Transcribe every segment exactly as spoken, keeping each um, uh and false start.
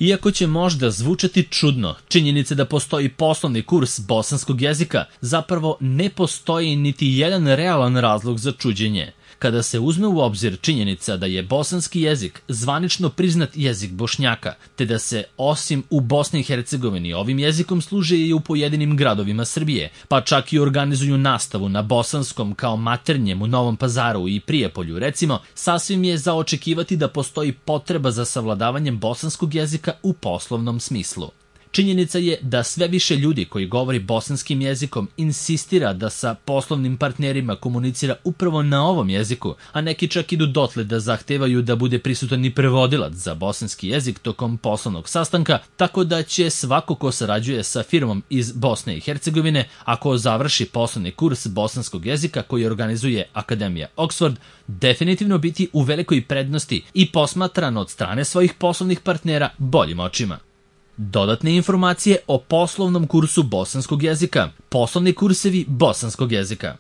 Iako će možda zvučati čudno, činjenica da postoji poslovni kurs bosanskog jezika zapravo ne postoji niti jedan realan razlog za čuđenje. Kada se uzme u obzir činjenica da je bosanski jezik zvanično priznat jezik Bošnjaka, te da se osim u Bosni i Hercegovini ovim jezikom služe i u pojedinim gradovima Srbije, pa čak i organizuju nastavu na bosanskom kao maternjem u Novom Pazaru i Prijepolju, recimo, sasvim je za očekivati da postoji potreba za savladavanjem bosanskog jezika u poslovnom smislu. Činjenica je da sve više ljudi koji govori bosanskim jezikom insistira da sa poslovnim partnerima komunicira upravo na ovom jeziku, a neki čak idu dotle da zahtevaju da bude prisutan i prevodilac za bosanski jezik tokom poslovnog sastanka, tako da će svako ko sarađuje sa firmom iz Bosne i Hercegovine, ako završi poslovni kurs bosanskog jezika koji organizuje Akademija Oxford, definitivno biti u velikoj prednosti i posmatran od strane svojih poslovnih partnera boljim očima. Dodatne informacije o poslovnom kursu bosanskog jezika. Poslovni kursevi bosanskog jezika.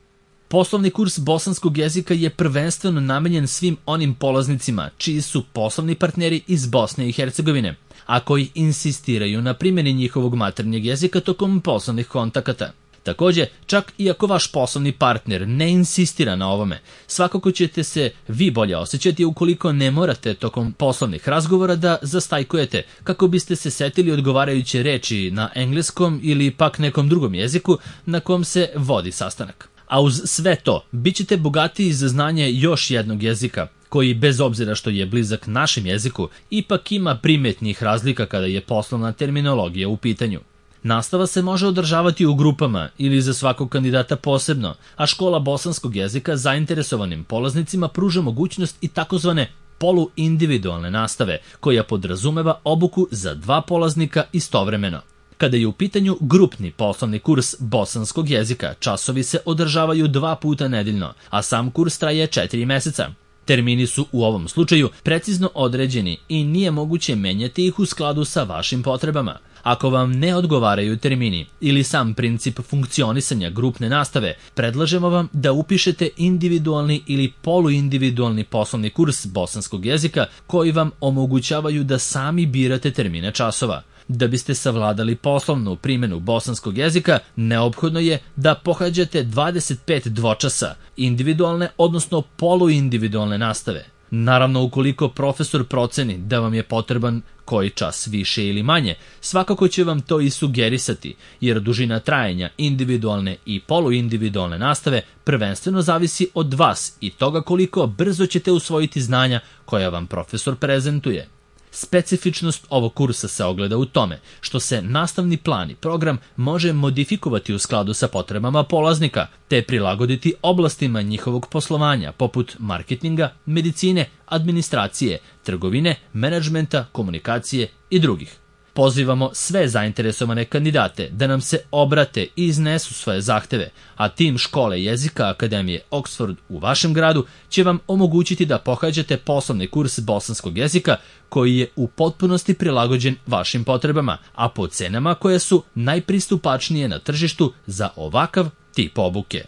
Poslovni kurs bosanskog jezika je prvenstveno namenjen svim onim polaznicima čiji su poslovni partneri iz Bosne i Hercegovine, a koji insistiraju na primjeni njihovog maternjeg jezika tokom poslovnih kontakata. Takođe, čak i ako vaš poslovni partner ne insistira na ovome, svakako ćete se vi bolje osjećati ukoliko ne morate tokom poslovnih razgovora da zastajkujete kako biste se setili odgovarajuće reči na engleskom ili pak nekom drugom jeziku na kom se vodi sastanak. A uz sve to, bit ćete bogatiji za znanje još jednog jezika, koji bez obzira što je blizak našem jeziku, ipak ima primetnih razlika kada je poslovna terminologija u pitanju. Nastava se može održavati u grupama ili za svakog kandidata posebno, a škola bosanskog jezika zainteresovanim polaznicima pruža mogućnost i takozvane poluindividualne nastave, koja podrazumeva obuku za dva polaznika istovremeno. Kada je u pitanju grupni poslovni kurs bosanskog jezika, časovi se održavaju dva puta nedeljno, a sam kurs traje četiri meseca. Termini su u ovom slučaju precizno određeni i nije moguće menjati ih u skladu sa vašim potrebama. Ako vam ne odgovaraju termini ili sam princip funkcionisanja grupne nastave, predlažemo vam da upišete individualni ili poluindividualni poslovni kurs bosanskog jezika koji vam omogućavaju da sami birate termine časova. Da biste savladali poslovnu primjenu bosanskog jezika, neophodno je da pohađate dvadeset pet dvočasa individualne, odnosno poluindividualne nastave. Naravno, ukoliko profesor proceni da vam je potreban koji čas više ili manje, svakako će vam to i sugerisati, jer dužina trajanja individualne i poluindividualne nastave prvenstveno zavisi od vas i toga koliko brzo ćete usvojiti znanja koja vam profesor prezentuje. Specifičnost ovog kursa se ogleda u tome što se nastavni plan i program može modifikovati u skladu sa potrebama polaznika, te prilagoditi oblastima njihovog poslovanja poput marketinga, medicine, administracije, trgovine, menadžmenta, komunikacije i drugih. Pozivamo sve zainteresovane kandidate da nam se obrate i iznesu svoje zahteve, a tim škole jezika Akademije Oxford u vašem gradu će vam omogućiti da pohađate poslovni kurs bosanskog jezika koji je u potpunosti prilagođen vašim potrebama, a po cenama koje su najpristupačnije na tržištu za ovakav tip obuke.